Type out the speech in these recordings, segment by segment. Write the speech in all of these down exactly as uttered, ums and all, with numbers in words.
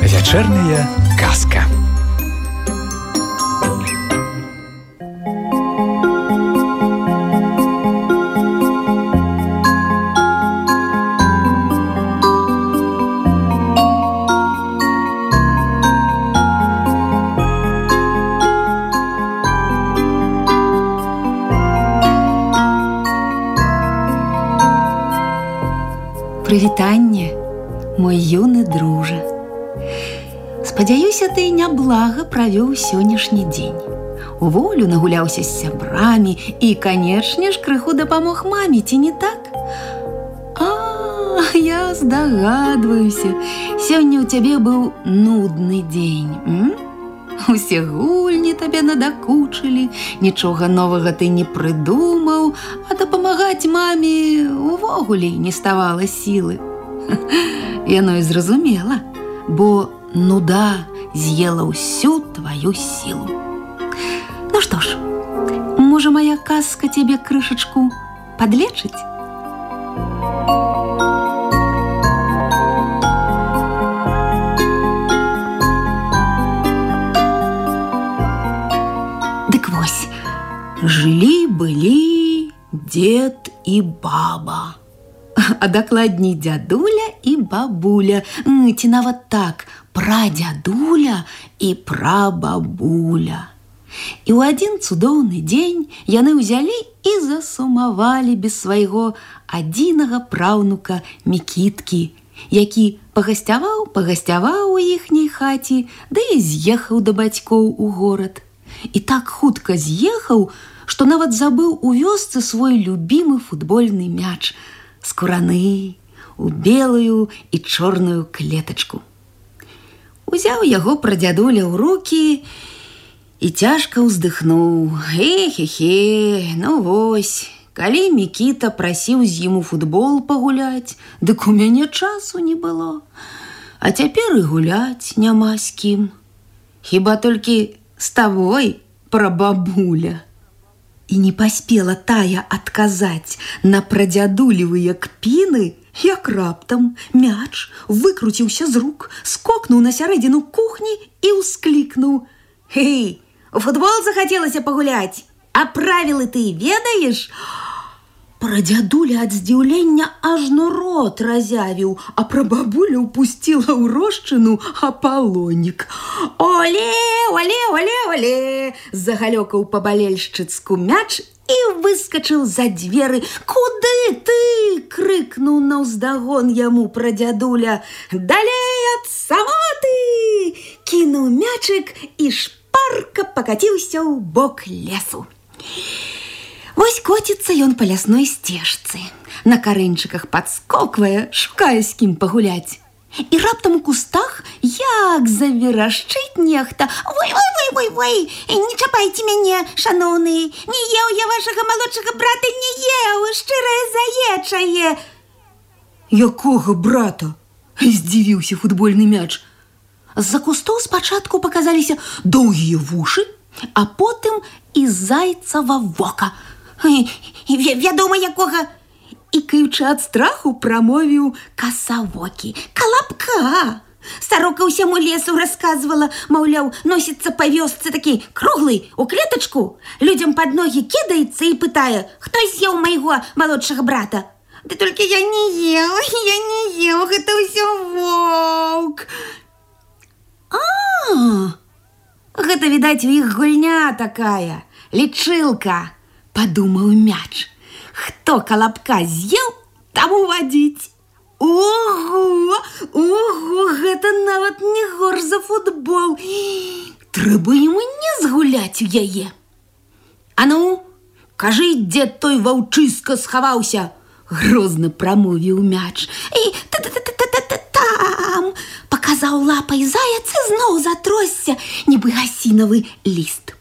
Вечерняя казка. Прывітанне, мой юны дружа. Спадзяюся, ты няблага правёў сённяшні дзень. У волю нагуляўся з сябрамі і, канечне ж, крыху дапамог маме, ці не так? А, я здагадваюся, сёння ў цябе быў нудны дзень. М? Усе гульні табе надакучылі, нічога новага ты не прыдумаў, а дапамагаць маме увогуле не ставала сілы. Яно і зразумела, бо нуда з'ела ўсю тваю сілу. Ну што ж, можа, моя казка цябе крышачку падлечыць? Дык вось, жылі-былі дед і баба. А дакладней дзядуля і бабуля, ці нават так, прадзядуля і прабабуля. І ў адзін цудоўны дзень яны ўзялі і засумавалі без свайго адзінага праўнука Мікіткі, які пагасцяваў, пагасцяваў у іхняй хаце, ды і з'ехаў да бацькоў у горад. І так хутка з'ехаў, што нават забыў у вёсцы свой любімы футбольны мяч, скураны, у белую і чорную клетачку. Узяў яго прадзядуля ў рукі і цяжка ўздыхнуў. Хе-хе-хе, ну вось, калі Мікіта прасіў з ім у футбол пагуляць, дык у мяне часу не было. А цяпер і гуляць няма з кім. Хіба толькі з табой, прабабуля. І не паспела тая адказаць на прадзядулевыя кпіны, як раптам мяч выкруціўся з рук, скокнуў на сярэдзіну кухні і ўсклікнуў: «Хей, у футбол захацелася пагуляць, а правілы ты ведаеш?» Прадзядуля ад здзіўлення ажно рот разявіў, а прабабуля ўпусціла ў рошчыну апалонік. «Оле, оле, оле, оле!» загалёкаў па-балельшчыцку мяч і выскачыў за дзверы. «Куды ты?» крыкнуў наўздагон яму прадзядуля. «Далей ад самоты!» кінуў мячык і шпарка пакаціўся ў бок лесу. Вось коціцца ён па лясной сцежцы, на карэньчыках падскоквае, шукае з кім пагуляць. І раптам у кустах як заверашчыць нехта: «Вой, вой, вой, вой, вой, не чапайце мяне, шаноўны, не еў я вашага малодшага брата, не еў, шчырае заечае!» «Якога брата?» здзівіўся футбольны мяч. З-за кустоў спачатку паказаліся доўгія вушы, а потым і зайцава вока. «Вядома, якога!» ікаючы ад страху прамовіў касавокі. «Калапка! Старока ўсяму лесу расказвала, маўляў, носіцца па вёсцы такі круглы, у клетачку, людзям пад ногі кідаецца і пытае: хто з'еў майго малодшага брата? Ды толькі я не еў, я не еў, гэта ўсё воўк!» «А, гэта, відаць, у іх гульня такая, лічылка!» падумаў мяч. «Хто калапка з'еў, таму вадзіць!» Ого, ого, гэта нават не горш за футбол. Трэба ім не згуляць у яе. «А ну, кажы, дзе той ваўчыска схаваўся!» грозна прамовіў мяч. «І та-та-та-та-та-там!» паказаў лапай заяц і зноў затросся, нібы гасінавы ліст.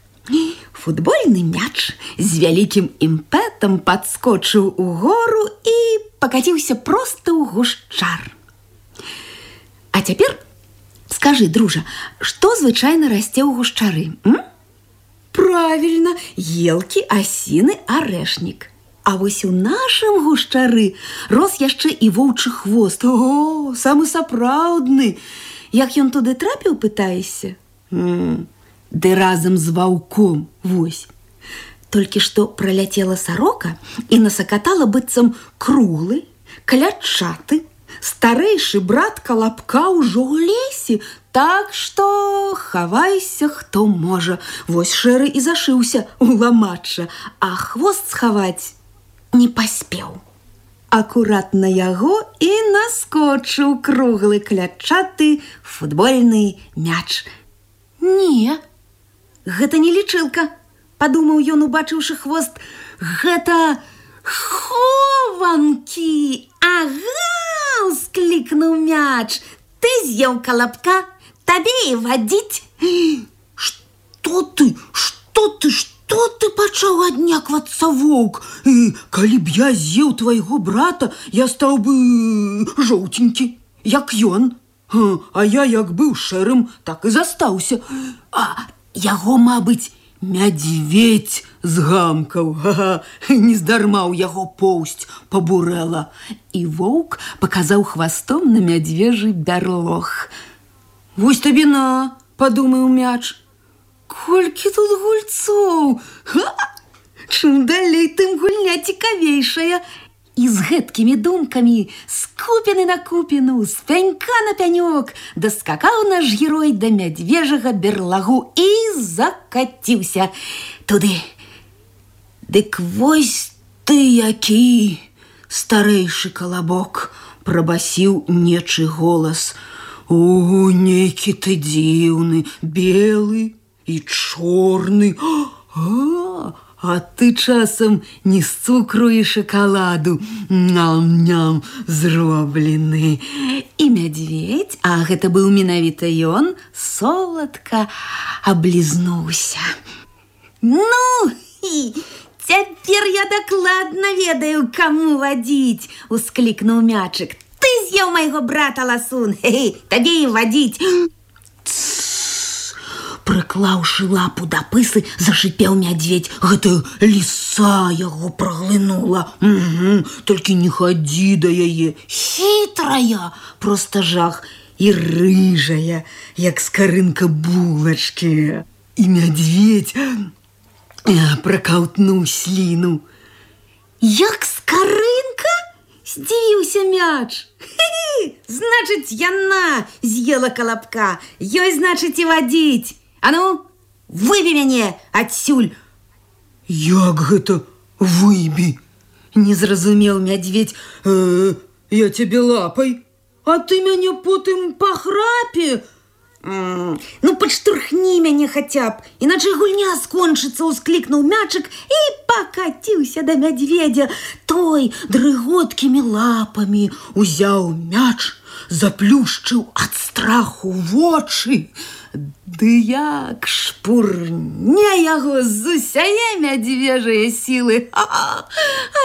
Футбольны мяч з вялікім імпэтам падскочыў угору і пакаціўся проста ў гушчар. А цяпер скажы, дружа, што звычайна расце ў гушчары? М? Правильно, елки, асіны, арэшнік. А вось у нашым гушчары рос яшчэ і воўчы хвост. О, самы сапраўдны. Як ён туды трапіў, пытаешся? М-м, ды разам з ваўком, вось. Толькі што праляцела сарока і насакатала быццам круглы, калячаты, старэйшы брат Калапка ўжо ў лесе, так што хавайся, хто можа. Вось Шэры і зашыўся ў ламачча, а хвост схаваць не паспеў. Акурат на яго і наскочыў круглы клятчаты футбольны мяч. Не, гэта не лічылка, падумаў ён, убачыўшы хвост. Гэта хованкі. Ага, усклікнуў мяч. Ты з'еў Калапка, табе і вадзіць. Што ты, што ты, што? То ты пачаў адняквацца, воўк. І калі б я з'еў твайго брата, я стаў бы жоўценькі, як ён. А я як быў шэрым, так і застаўся. А яго, мабыць, мядзведзь згамкаў. Ага, нездарма ў яго поўсць пабурэла. І воўк паказаў хвастом на мядзвежы бярлог. Вось табе на, падумаў мяч. Колькі тут гульцоў! Ха! Чым далей, тым гульня цікавейшая. І з гэткімі думкамі, з купіны на купіну, з пянька на пянёк, даскакаў наш герой да мядзвежага берлагу і закаціўся туды. Дык вось ты які, старэйшы Калабок, прабасіў нечы голас. О, нейкі ты дзіўны, белы і чорны. А, а ты часам не з цукру і шакаладу, ням-ням, зроблены. І мядзведзь, а гэта быў менавіта ён, соладка аблізнуўся. Ну, і цяпер я дакладна ведаю, каму вадзіць, усклікнуў мячык. Ты з'еў майго брата, ласун, хе-хе, табе і вадзіць. Прыклаўшы лапу да пысы, зашипеў мядзведь. Гэта ліса яго праглынула. Угу, толькі не хадзі да яе. Хітрая, проста жах, і рыжая, як скарынка булачкі. І мядзведь пракаўтнуў сліну. Як скарынка? Здзівіўся мяч. Хе-хе, значыць, яна з'ела Калапка. Ёй, значыць, і вадзіць. А ну, выбі мяне адсюль. Як гэта выбі? Не зразумеў мядзведь. Э, я цябе лапай, а ты мяне потым па храпе. Mm, ну, падштурхні мяне хаця б, іначай гульня скончыцца, усклікнуў мячык і пакаціўся да мядзведзя. Той дрыготкімі лапамі узяў мяч, заплюшчыў ад страху вочы. Ды як шпурне яго з усяе мядзвежае сілы. Ха-ха!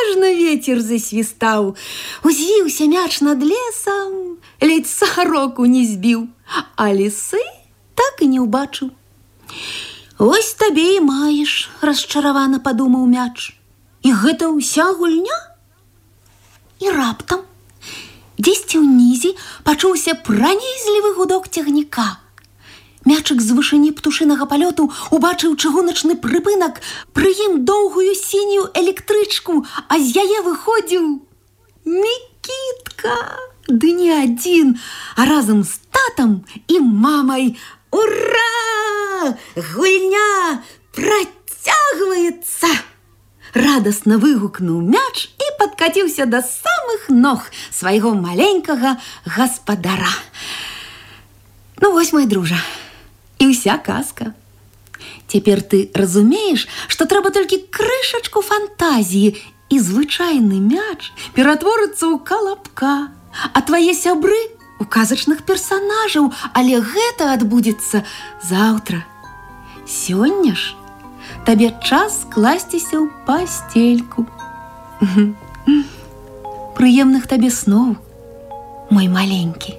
Ажно вецер засвістаў. Узвіўся мяч над лесам, ледзь сароку не збіў, а лісы так і не ўбачыў. Ось табе і маеш, расчаравана падумаў мяч. І гэта ўся гульня? І раптам дзесьці ўнізе пачуўся пранізлівы гудок цягніка. Мячык з вышыні птушынага палёту убачыў чыгуначны прыпынак, пры ім доўгую сінюю электрычку, а з яе выходзіў Мікітка. Ды не адзін, а разам з татам і мамай. Ура! Гульня працягваецца! Радасна выгукнуў мяч і падкаціўся да самых ног свайго маленькага гаспадара. Ну вось, мой дружа, і ўся казка. Цяпер ты разумееш, што трэба толькі крышачку фантазіі, і звычайны мяч ператворыцца ў Калапка, а твае сябры у казачных персанажаў, але гэта адбудзецца заўтра. Сёння ж табе час класціся ў пастельку. Прыемных табе сноў, мой маленькі.